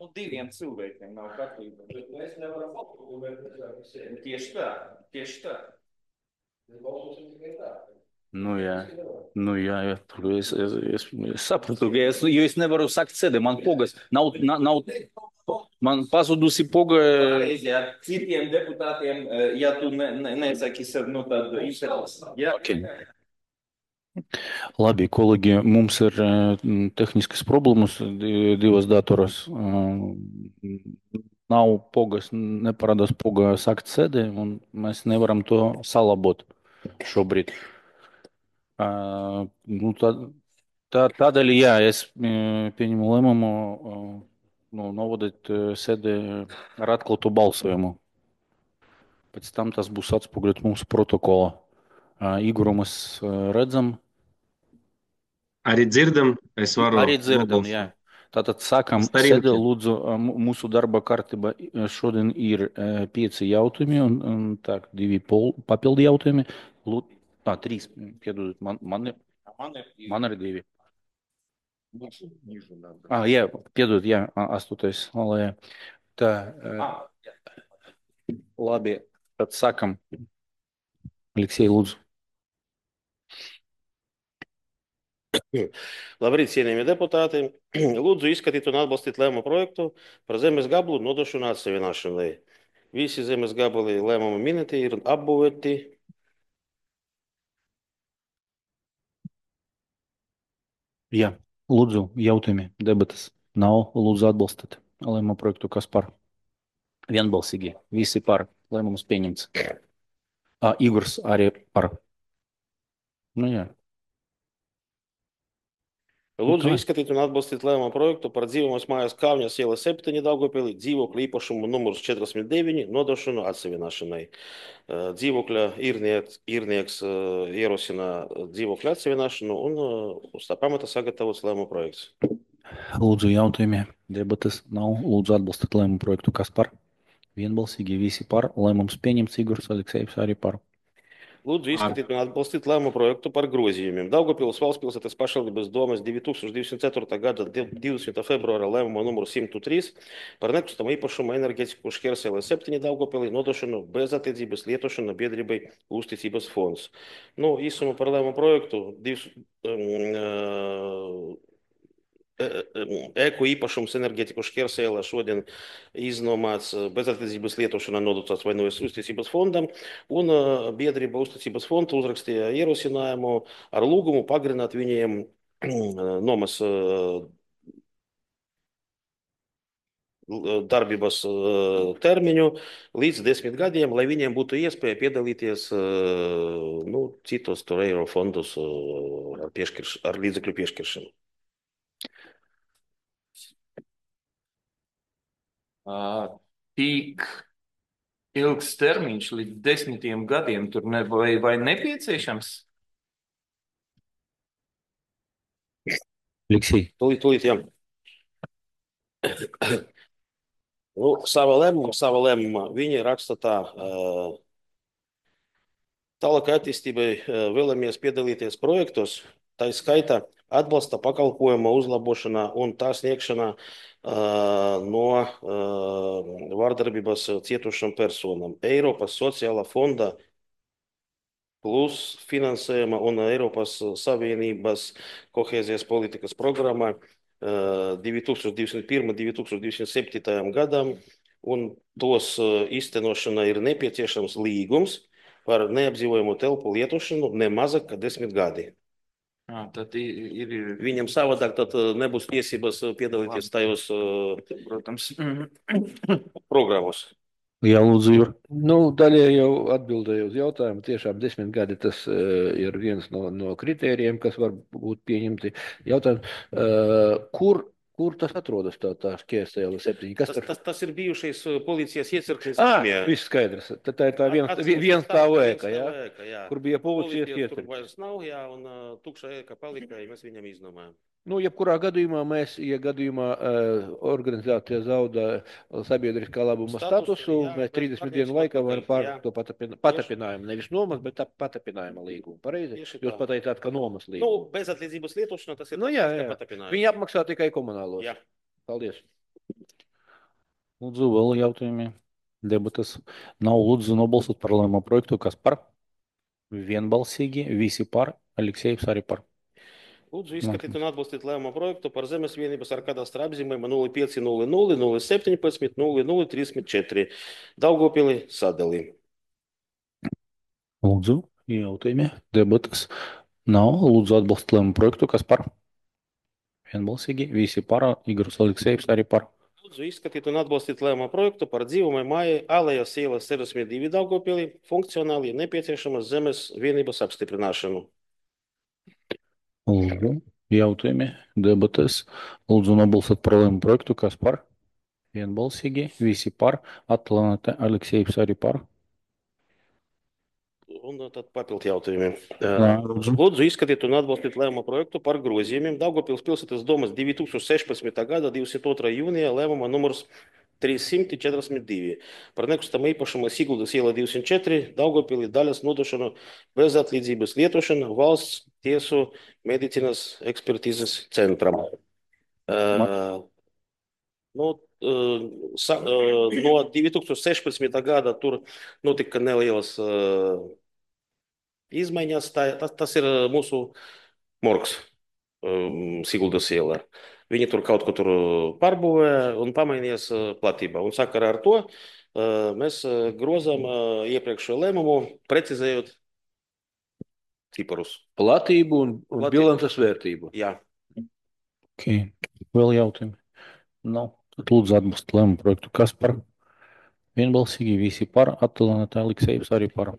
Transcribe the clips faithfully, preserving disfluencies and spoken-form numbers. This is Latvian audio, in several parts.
Nu, diviem cilvēkiem nav kārtībā. Bet mēs nevaram apkopēt visiem. Tieši tā, tieši tā. Mēs balsosim tikai tā. Nu, jā. Nu, jā, jā. Es, es, es, es sapratu, ka es, jo es nevaru sakt sēdi, man pogas nav, nav, nav man pazudusi poga. Pareizi, ar citiem deputātiem, eh, ja tu ne, ne, nesaki sev, nu, tādu interesi. Jā, Okay. Labi, kolēģi, mums ir uh, tehniskas problēmas di- divas datoras. Uh, nav pogas, neparādās poga sakt sēdi, un mēs nevaram to salabot šobrīd. Uh, nu, tā, tā, tādēļ, jā, es uh, pieņemu lēmumu uh, nu, novadīt uh, sēdi ar atklātu balsojumu. Pēc tam tas būs atspoguļots mūsu protokolā. Uh, Igoru mēs uh, redzam. Arī dzirdam, es varu Arī dzirdam, nobalsot. jā. Tātad sākam Starinki. sēdi, lūdzu, uh, mu- mūsu darba kārtība uh, šodien ir uh, pieci jautājumi un, un tā, divi pol, papildi jautājumi. Lūd, tā, trīs, piedodiet, man, man, ir- man ir man arī divi. divi. Nižu надо. Ah, jā, piedod, jā, a- astotais. Lai, tā, uh, Ah, jā. labi, tad sākam. Aleksej, lūdzu. Labrīt, cienījamie deputāti. Lūdzu izskatīt un atbalstīt lēmumu projektu par zemes gabalu nodošanu atsevienošanai. Visi zemes gabali lēmuma minēti ir apbūvēti. Jā, lūdzu, jautājumi, debatas. Nav, lūdzu, atbalstīt lēmumu projektu, kas par vienbalsīgi. Visi par lēmumus pieņemts. A, Igors arī par. Nu, jā. Lūdzu tā. izskatīt un atbalstīt lēmumu projektu par dzīvojamās mājas Kāvņas iela septiņi Daugavpilī dzīvokļu īpašumu numurs četrdesmit deviņi nodošanu atsevienošanai. Eh, Dzīvokļa īrnieks, īrnieks eh, ierosina dzīvokļu atsevienošanu un eh, uz tā pamata sagatavots lēmumu projekts. Lūdzu, jautājumi, debatas nav. Lūdzu, atbalstīt lēmumu projektu, kas par vienbalsīgi. Visi par. Lēmums pieņemts. Igors Aleksejevs arī par. Lūdzu izskatīt un atbalstīt lēmumu projektu par grozījumiem. Daugavpils valsts pilsētas pašvaldības domes divi tūkstoši divdesmit ceturtā gada divdesmitā februāra lēmuma numuru simt trīs par nekustamo īpašumu enerģētiku Škersēlē septiņi Daugavpilī nodošanu bez attiecības lietošana biedrībai Uzticības fonds. Nu, īsumā par lēmumu projektu divs, um, Ēku īpašums enerģētiku Škersēlē šodien iznomāts bezattiecības lietošanā nodots vai no Uzticības fondam, un biedrība Uzticības fonda uzrakstīja ierosinājumu ar lūgumu pagarināt viņiem nomas darbības termiņu līdz desmit gadiem, lai viņiem būtu iespēja piedalīties nu, citos tur eiro fondus ar, pieškirš, ar līdzekļu piešķiršanu. Ā, Tik ilgs termiņš līdz desmitiem gadiem tur ne, vai, vai nepieciešams? Aleksej. Tūlīt, tūlīt, jā. Nu, sava lēmuma, sava lēmuma. Viņi raksta tā. ā, Tālāk attīstībai ā, vēlamies piedalīties projektos, tā skaitā atbalsta pakalpojuma uzlabošanā un tā sniegšanā ā, no ā, vardarbības cietušām personām. Eiropas sociālā fonda plus finansējuma un Eiropas Savienības kohēzijas politikas programma ā, divi tūkstoši divdesmit pirmajam, divi tūkstoši divdesmit septītajam gadam, un tos ā, īstenošanai ir nepieciešams līgums par neapdzīvojamu telpu lietošanu ne mazāk kā desmit gadi. Ā, Tad ir, ir Viņam savādāk tad ā, nebūs tiesības ā, piedalīties tajos ā, protams, programmos. Jā, lūdzu, Igor. Nu, daļai jau atbildēju uz jautājumu. Tiešām desmit gadi tas uh, ir viens no, no kritērijiem, kas var būt pieņemti. Jautājums, uh, kur, kur tas atrodas, tā, tā Škersēle septiņi? Kas Tas, tur? tas, tas ir bijušais ā, policijas iecirknis. Ah, viss skaidrs. Tā, tā ir tā viens, viens tā ēka, jā? jā. Kur bija policijas Policijas tur iecirknis. vairs nav, jā, un ā, tukša ēka palika, ja mēs viņam iznomājam. Nu, jebkurā gadījumā mēs, ja gadījumā uh, organizācija zaudē sabiedriskā labuma Statusu, statusu, jā, mēs bet trīsdesmit atgriezt dienu laikā varam atpakaļ, jā. pārvest to patapina, patapinājumu. Nevis nomas, bet tā patapinājuma līgumu. Pareizi? Tieši Jūs tā. pateicāt, ka nomas Nu, līgumu. bezatliedzības lietošana tas ir Nu, jā, tas, kā jā. patapinājums. Viņi apmaksā tikai komunālos. Jā. Paldies. Lūdzu, vēl jautājumi. Debatas nav. Lūdzu, nobalsot par lēmumu projektu. Kas par? Vienbalsīgi, visi par. Aleksejs arī par. Lūdzu, izskatīt un atbalstīt lēmumu projektu par zemes vienības ar kadastra apzīmējumu nulle pieci nulle nulle nulle septiņpadsmit nulle nulle trīsdesmit četri Daugavpili sadali. Lūdzu, jautājumi. Debatas nav. Lūdzu, atbalstīt lēmumu projektu. Kas par? Vienbalsīgi, visi par. Igors Aleksejs arī par. Lūdzu, izskatīt un atbalstīt lēmumu projektu par dzīvumai māju Alejas ielas sešdesmit divi Daugavpili funkcionāli nepieciešamas zemes vienības apstiprināšanu. Lūdzu, jautājumi. Debatas. Lūdzu, nobalsot par lēmumu projektu. Kas par? Vienbalsīgi, visi par. Atlanta Aleksejs arī par. Un tad papildu jautājumi. Jā, lūdzu. Lūdzu, izskatīt un atbalstīt lēmumu projektu par grozījumiem Daugavpils pilsētas domas divi tūkstoši sešpadsmitā gada divdesmit otrā jūnijā lēmuma numurs trīssimt četrdesmit divi par nekustamo īpašumu Siguldas iela divdesmit četri Daugavpili daļas nodošanu bez atlīdzības lietošanu valsts tiesu medicīnas ekspertīzes centram. Uh, nu, uh, sa, uh, no divi tūkstoši sešpadsmitā gada tur notika nelielas uh, izmaiņas. Tā, tas, tas ir mūsu morgs um, Siguldas ielā. Viņi tur kaut ko tur pārbūvē un pamainījās uh, platībā. Un sakarā ar to uh, mēs uh, grozām uh, iepriekšējo lēmumu, precizējot ciparus. Platību un, un Platību. bilances vērtību. Jā. Okay. Vēl jautājumi? Nav. Tad lūdzu atbalstīt lēmumu projektu. Kas par? Vienbalsīgi, visi par. Atlanta Aleksejs arī par.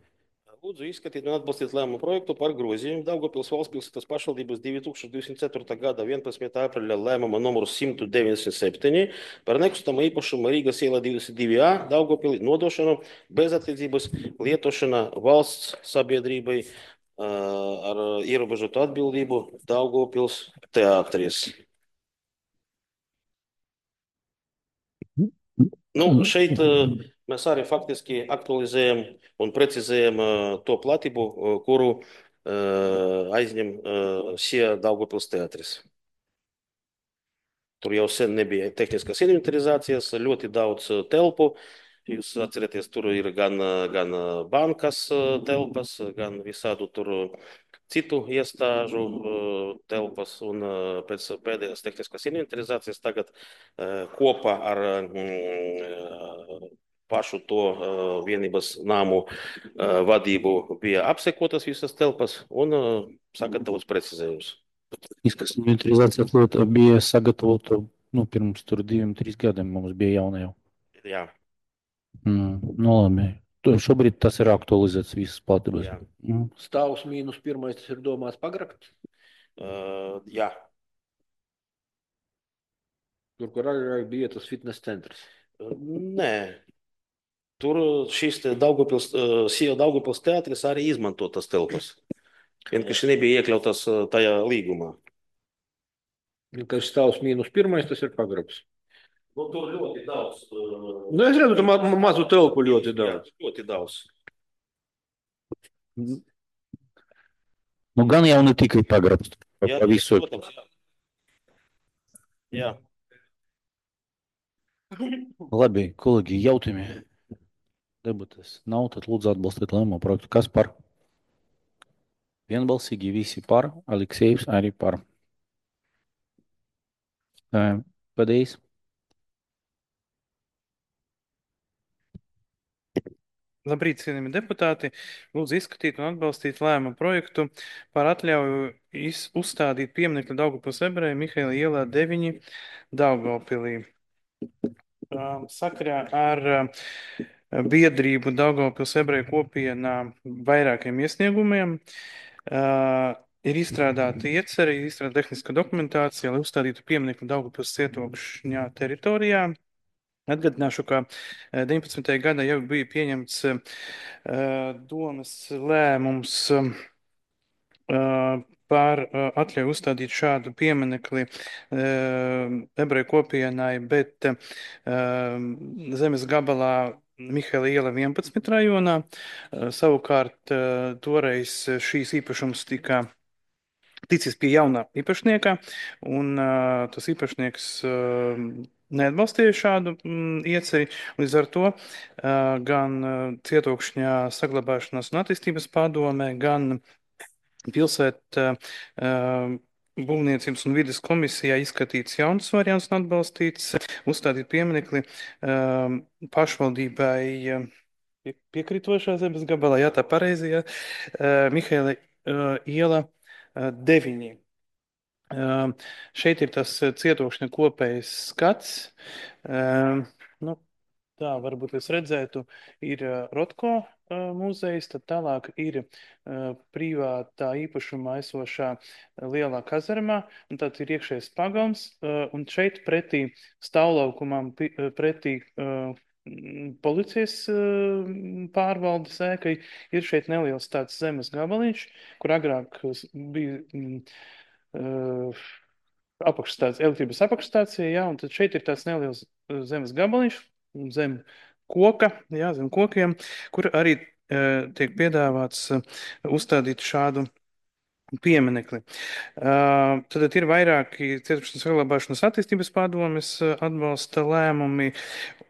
Lūdzu, izskatīt un atbalstīt lēmumu projektu par grozījumu Daugavpils valsts pilsētas pašvaldības divi tūkstoši divdesmit ceturtā gada vienpadsmitā aprīļa lēmuma numuru simt deviņdesmit septiņi par nekustamo īpašumu Rīgas ielā divdesmit divi A Daugavpili nodošanu bez atlīdzības lietošana valsts sabiedrībai uh, ar ierobežotu atbildību Daugavpils teātris. Nu, šeit uh, mēs arī faktiski aktualizējam un precizējam uh, to platību, uh, kuru uh, aizņem uh, Sija Daugavpils teātris. Tur jau sen nebija tehniskas inventarizācijas, ļoti daudz uh, telpu. Jūs atcerieties, tur ir gan, uh, gan uh, bankas uh, telpas, gan visādu tur uh, citu iestāžu uh, telpas, un uh, pēc pēdējās tehniskas inventarizācijas tagad uh, kopā ar uh, pašu to uh, vienības nāmu uh, vadību bija apsekotas visas telpas un uh, sagatavots precizējums. Izkas inventarizācija flota bija sagatavota, nu, pirms tur diviem, trīs gadiem mums bija jauna jau. Jā. Mm, nu, labi. Tu- Šobrīd tas ir aktualizēts visas platības. Jā. Mm. Stāvs mīnus pirmais, tas ir domāts pagrakt. Uh, jā. Tur, kur arī bija tas fitness centrs. Uh, Nē. Tur šis te Daugavpils, uh, Sija Daugavpils teātris arī izmanto tas telpas. Vienkārši nebija iekļautas uh, tajā līgumā. Kas stāvs mīnus pirmais, tas ir pagrabs. Nu, tur ļoti daudz. Uh, Nu, es redzu, ka ma ma- mazu telpu ļoti jā, daudz. ļoti daudz. Nu, gan jau ne tikai pagrabs, pa, Jā, pa visu. protams, jā. Jā. Labi, kolēģi, jautājumi. Debates nav, tad lūdzu atbalstīt lēmumu projektu. Kas par? Vienbalsīgi, visi par. Aleksejs arī par. Ē, Pēdējais. Labrīt, cienījami deputāti. Lūdzu izskatīt un atbalstīt lēmumu projektu par atļauju iz- uzstādīt pieminekli Daugavpils ebrejiem Mihaila ielā deviņi Daugavpilī. Um, Sakarā ar um, biedrību Daugavpils ebreju kopienā vairākiem iesniegumiem uh, ir izstrādāta iecerē, ir izstrādāta tehniska dokumentācija, lai uzstādītu pieminekli Daugavpils cietokšņā teritorijā. Atgādināšu, ka eh, deviņpadsmitajā gadā jau bija pieņemts eh, domas lēmums eh, par eh, atļauju uzstādīt šādu pieminekli eh, ebreju kopienai, bet eh, zemes gabalā Mihaila iela vienpadsmit rajonā. Eh, Savukārt eh, toreiz šīs īpašums tika ticis pie jaunā īpašnieka, un uh, tas īpašnieks uh, neatbalstīja šādu mm, ieceri. Līdz ar to uh, gan uh, Cietokšņā saglabāšanās un attīstības padomē, gan pilsēta uh, būvniecības un vides komisijā izskatīts jauns variants un atbalstīts, uzstādīt pieminekli uh, pašvaldībai uh, pie- piekrītošā zemes gabalā, jā, tā pareizi, jā, uh, Mihaila uh, iela uh, deviņi. Um, šeit ir tas uh, cietokšņa kopējs skats. Um, nu, tā varbūt jūs redzētu, ir uh, Rotko uh, muzejs, tad tālāk ir uh, privātā īpašumā esošā uh, lielā kazarmā, un tad ir iekšējais pagalms, uh, un šeit pretī stāvlaukumam, pi- uh, pretī uh, mm, policijas uh, pārvaldes ēkai ir šeit neliels tāds zemes gabaliņš, kur agrāk uh, bija mm, uh, apakšstācija, elektrības apakšstācija, jā, un tad šeit ir tāds neliels uh, zemes gabaliņš zem koka, jā, zem kokiem, kur arī uh, tiek piedāvāts uh, uzstādīt šādu pieminekli. Uh, tad ir vairāki cietušanas saglabāšanas attīstības padomes uh, atbalsta lēmumi.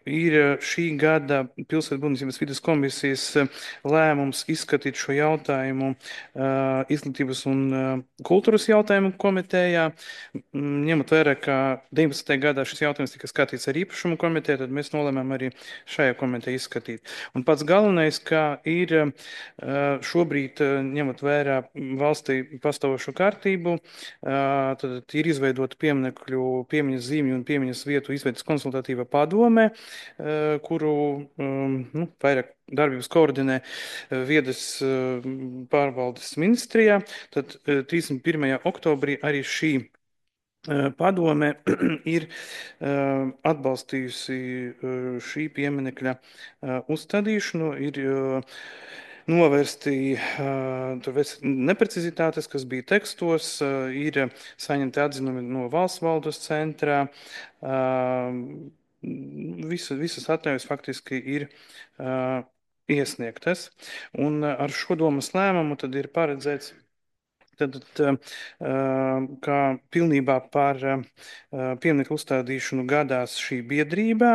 Ir uh, šī gada pilsētbūvniecības vides komisijas uh, lēmums izskatīt šo jautājumu uh, izglītības un uh, kultūras jautājumu komitejā. Mm, Ņemot vērā, ka deviņpadsmitajā gadā šis jautājums tika skatīts ar īpašumu komiteju, tad mēs nolēmām arī šajā komitejā izskatīt. Un pats galvenais, ka ir uh, šobrīd, uh, ņemot vērā valstī pastāvošo kārtību, uh, tad ir izveidota pieminekļu, piemiņas zīmju un piemiņas vietu izveidas konsultatīva padome, uh, kuru um, nu, vairāk darbības koordinē uh, viedes uh, pārvaldes ministrijā. Tad uh, trīsdesmit pirmajā oktobrī arī šī uh, padome ir uh, atbalstījusi uh, šī pieminekļa uh, uzstādīšanu, ir uh, novērsti uh, tur ves- neprecizitātes, kas bija tekstos, uh, ir saņemti atzinumi no valsts valdes centrā. Uh, Visa, visas atļaujas faktiski ir uh, iesniegtas. Un uh, ar šo domas lēmumu tad ir paredzēts Tad, uh, kā pilnībā par uh, pieminekļu uzstādīšanu gadās šī biedrībā,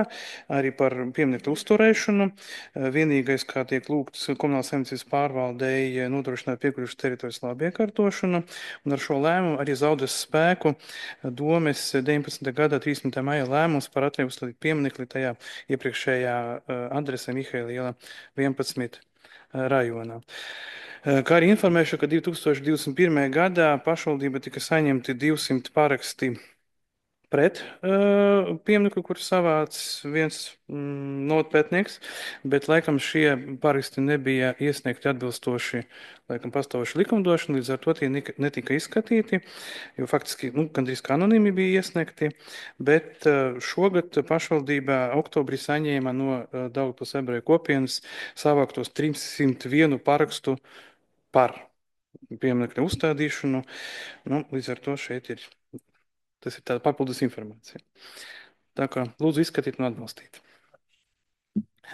arī par pieminekļu uzturēšanu. Uh, Vienīgais, kā tiek lūgts komunālās saimniecības pārvaldei, nodrošināt piekļuvušas teritorijas labu iekārtošanu, un ar šo lēmumu arī zaudēs spēku domes deviņpadsmitā gada trīsdesmitā maija lēmums par atļauju uzstādīt pieminekli tajā iepriekšējā uh, adresē Mihaila iela vienpadsmit uh, rajonā. Kā arī informēšu, ka divi tūkstoši divdesmit pirmajā gadā pašvaldība tika saņemti divsimt paraksti pret uh, pieminekli, kur savāc viens mm, notpētnieks, bet laikam šie paraksti nebija iesniegti atbilstoši laikam pastāvoši likumdošana, līdz ar to tie nika- netika izskatīti, jo faktiski nu, gandrīz kā anonīmi bija iesniegti, bet uh, šogad pašvaldībā oktobrī saņēma no uh, Daugavpils ebreju kopienas savāktos trīssimt vienu parakstu par pieminekļa uzstādīšanu. Nu, līdz ar to šeit ir, tas ir tāda papildus informācija. Tā kā lūdzu izskatīt un atbalstīt.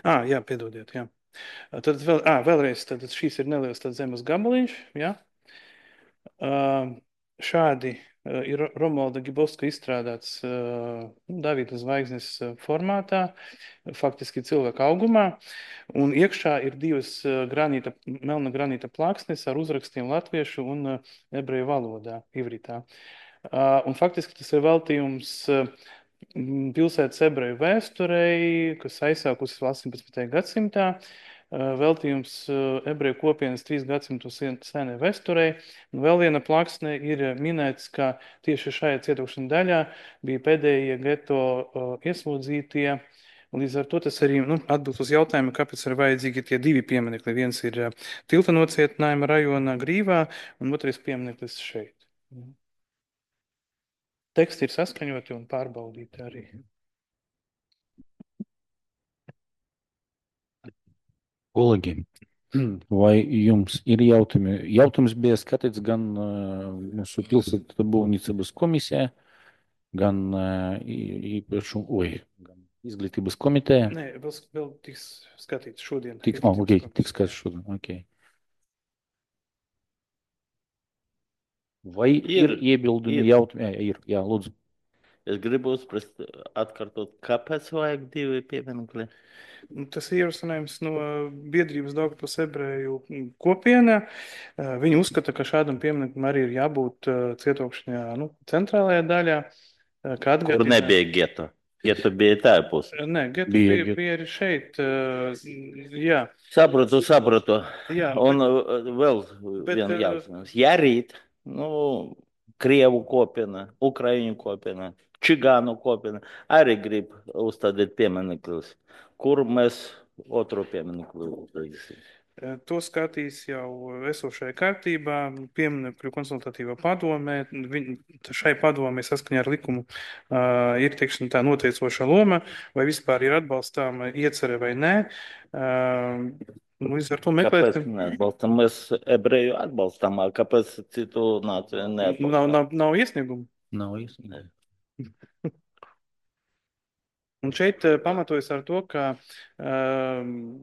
Ā, jā, piedodiet, jā. Tad vēl, ā, vēlreiz, tad šīs ir neliels tāds zemes gabaliņš, jā. Uh, šādi uh, ir Romualda Gibovska izstrādāts uh, Davida zvaigznes uh, formātā, faktiski cilvēka augumā, un iekšā ir divas uh, granīta, melna granīta plāksnes ar uzrakstiem latviešu un uh, ebreju valodā, ivritā. Uh, un faktiski tas ir veltījums uh, m, pilsētas ebreju vēsturei, kas aizsākusies vēl astoņpadsmitajā gadsimtā, uh, veltījums uh, ebreju kopienas trīs gadsimtu sen- senai vēsturei. Un vēl viena plāksne ir minēts, ka tieši šajā cietokšana daļā bija pēdējie geto uh, ieslodzītie. Un līdz ar to tas arī nu, atbild uz jautājumu, kāpēc ir vajadzīgi tie divi pieminekļi. Viens ir uh, tilta nocietinājuma rajonā Grīvā, un otrais piemineklis šeit. Teksti ir saskaņoti un pārbaudīti arī. Kolēģi, vai jums ir jautājumi? Jautājums bija skatīts gan uh, mūsu pilsētbūvniecības komisijā, gan uh, i- īpašu, oi, gan izglītības komitejā. Nē, vēl, vēl tiks skatīts šodien. Tik, oh, ok, izglītības tik komisijā. skatīts šodien, ok. Vai ir Ir, iebildumi ir. jautājumi? Jā, ir, jā, lūdzu. Es gribu uzprast, atkārtot, kāpēc vajag divi pieminekļi? Nu, Tas ir ierosinājums no biedrības Daugavpils ebreju kopienā. Eh, Viņi uzskata, ka šādam piemineklim arī ir jābūt eh, Cietokšņā, nu, centrālajā daļā, eh, kā Kur atgādina. nebija geto. Geto bija tā pusē. Nē, Geta Bija, bija, Geta. bija arī šeit. eh, Jā, Saprotu, saprotu. jā. Un uh, vēl Bet, viena eh, jautājums. Ja rīt, nu, Krievu kopiena, Ukraiņu kopiena, Čigānu kopiena arī grib uzstādīt pieminekļus, kur mēs otru pieminekli uzstādīsim? Eh, To skatīs jau esošajā kārtībā, pieminekļu konsultatīvā padomē. Viņ- Šai padomē saskaņā ar likumu uh, ir, teiksim, tā noteicoša loma, vai vispār ir atbalstāma iecere vai nē. Uh, Līdz ar to Kāpēc meklēsim. neatbalstam? Mēs ebreju atbalstam, a kāpēc citu nāciju Nav, neatbalstam? nav, nav iesniegumu. Nav īsti. Un šeit eh, pamatojas ar to, ka uh,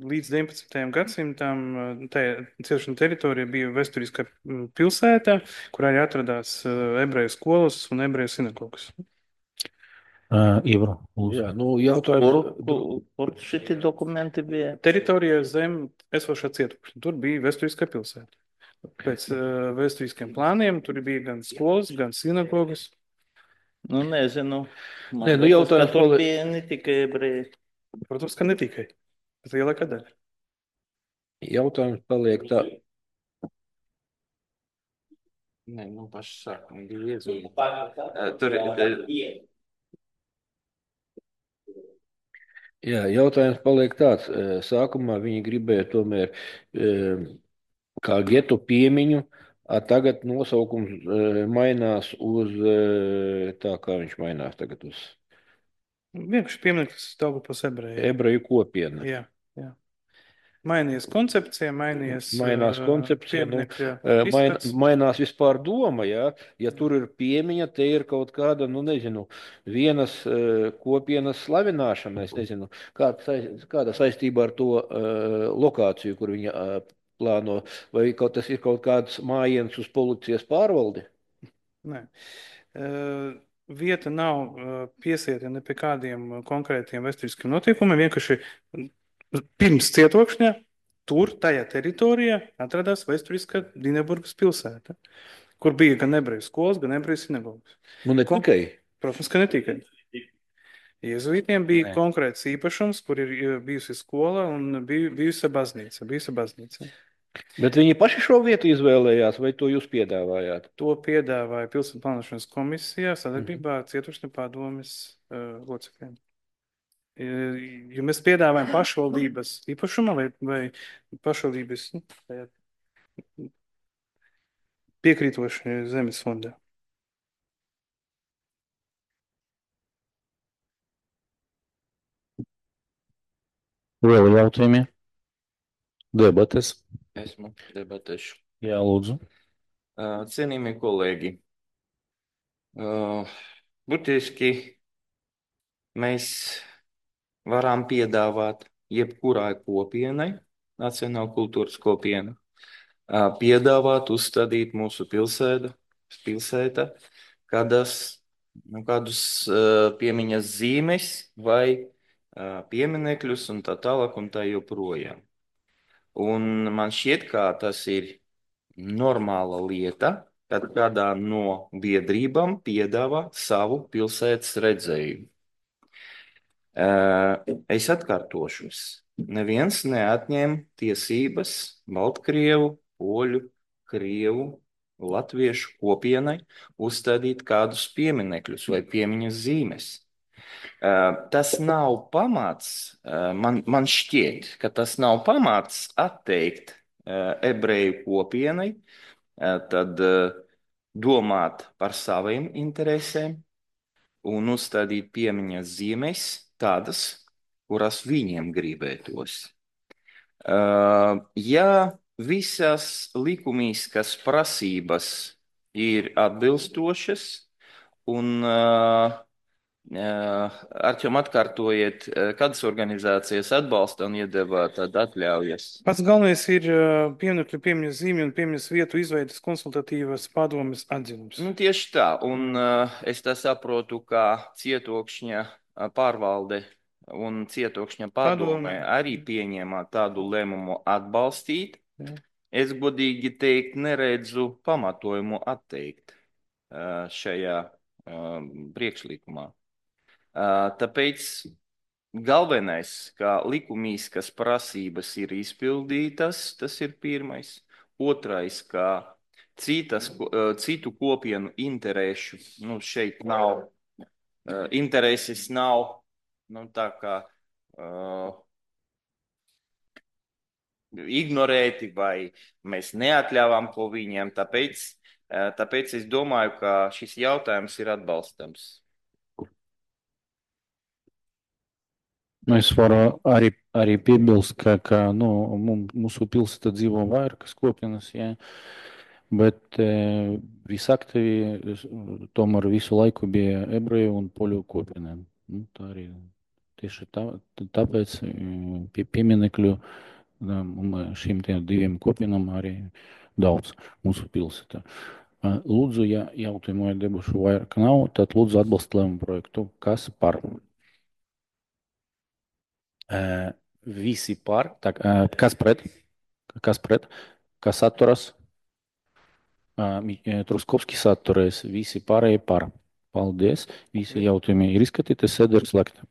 līdz deviņpadsmitajam gadsimtam uh, tā ciešanas teritorija bija vēsturiska mm, pilsēta, kurā arī atradās uh, ebreju skolas un ebreju sinagogas. Uh, Ivro, lūdzu. Jā, nu, Kur, jautājums. kur, kur šitie dokumenti bija? Teritorija zem esošā cietokšņa. Tur bija vēsturiskā pilsēta. Pēc uh, vēsturiskiem plāniem tur bija gan skolas, gan sinagogas. Nu, nezinu. Man Nē, nu, liekas, jautājums ka tur pali- bija ne tikai ebreji. Protams, ka ne tikai. Bet lielākā daļa. Jautājums paliek tā. Nē, nu paši sākumi bija iezīmēti. Tur ir. Jā, jautājums paliek tāds. eh, Sākumā viņi gribēja tomēr eh, kā getu piemiņu, a tagad nosaukums eh, mainās uz eh, tā, kā viņš mainās tagad uz Vienkārši piemineklis Daugavpils ebreju. ebreju kopienu. Jā, jā. Mainījies koncepcija, mainījies Mainās uh, koncepcija, nu, pieminekļa Eh, Main, izskats. mainās vispār doma, jā. Ja tur ir piemiņa, te ir kaut kāda, nu nezinu, vienas eh, kopienas slavināšana, es nezinu, kāda, sais- kāda saistība ar to eh, lokāciju, kur viņa eh, plāno, vai kaut tas ir kaut kāds mājiens uz policijas pārvaldi? Nē. Uh, Vieta nav uh, piesieta ne pie kādiem uh, konkrētiem vēsturiskiem notikumiem. Vienkārši pirms cietokšņa tur, tajā teritorijā, atradās vēsturiskā Dineburgas pilsēta, kur bija gan ebreju skolas, gan ebreju sinagogas. Nu, ne Ko- tikai. Protams, ka ne tikai. Jēzuītiem bija Nē. konkrēts īpašums, kur ir uh, bijusi skola un bija bijusi baznīca. Bijusi baznīca. Bet viņi paši šo vietu izvēlējās, vai to jūs piedāvājāt? To piedāvāja pilsētu plānošanas komisijā sadarbībā ar Cietokšņa padomes uh, locekļiem. Uh, Jo mēs piedāvājam pašvaldības īpašumā vai, vai pašvaldības nu, tajā piekrītoši zemes fondā. Vēl jautājumi? Debates? Esmu debatēšu. Jā, lūdzu. Uh, Cienījamie kolēģi, uh, būtiski mēs varam piedāvāt jebkurai kopienai, nacionāla kultūras kopiena, uh, piedāvāt uzstādīt mūsu pilsētu, pilsēta, kādas, nu, kādus uh, piemiņas zīmes vai uh, pieminekļus un tā tālāk un tā joprojām. Un man šķiet, ka tas ir normāla lieta, kad kādā no biedrībām piedāvā savu pilsētas redzējumu. Eh, Es atkārtošos. Neviens neatņem tiesības Baltkrievu, Poļu, Krievu, Latviešu kopienai uzstādīt kādus pieminekļus vai piemiņas zīmes. Eh, Tas nav pamats, eh, man, man šķiet, ka tas nav pamats atteikt eh, ebreju kopienai, eh, tad eh, domāt par saviem interesēm un uzstādīt piemiņas zīmes tādas, kuras viņiem gribētos. Eh, Ja visas likumīskas prasības ir atbilstošas un uh, Arčom, atkārtojiet, kādas organizācijas atbalsta un iedeva tad atļaujas? Pats galvenais ir uh, pieminekļu piemiņas zīmju un piemiņas vietu izveidas konsultatīvas padomes atzinums. Nu, tieši tā, un uh, es tā saprotu, ka cietokšņa uh, pārvalde un cietokšņa padome Padome. arī pieņēma tādu lēmumu atbalstīt. Jā. Es godīgi teikt, neredzu pamatojumu atteikt uh, šajā uh, priekšlikumā. Uh, tāpēc galvenais, ka likumīskas prasības ir izpildītas, tas ir pirmais. Otrais, ka citas, uh, citu kopienu interešu, nu, šeit nav, uh, intereses nav, nu, tā kā uh, ignorēti vai mēs neatļāvām ko viņiem, tāpēc, uh, tāpēc es domāju, ka šis jautājums ir atbalstams. Nu, es varu arī, arī piebilst, ka, ka nu, mum- mūsu pilsētā dzīvo vairākas kopienas, jā, bet e, visaktīvi es, tomēr visu laiku bija ebreju un poļu kopiena. Nu, tā arī tieši tā, tāpēc e, pie pieminekļu da, un šīm tiem diviem kopienām arī daudz mūsu pilsētā. E, Lūdzu, ja jautājumu vai debušu vairāk nav, tad lūdzu atbalst lēmumu projektu. Kas par? Uh, visi par, tā, uh, kas pret, kas pret, kas atturas, uh, Truskovskis atturēs, visi pārējie par. Paldies, visi jautājumi ir izskatīti, sēde ir slēgta.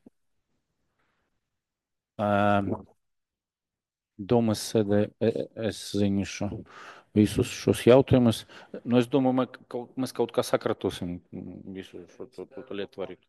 Uh, Domas sēdē es ziņošu visus šos jautājumus. Nu, es domāju, mēs kaut, mēs kaut kā sakratosim visu šo, šo, šo lietu varīt.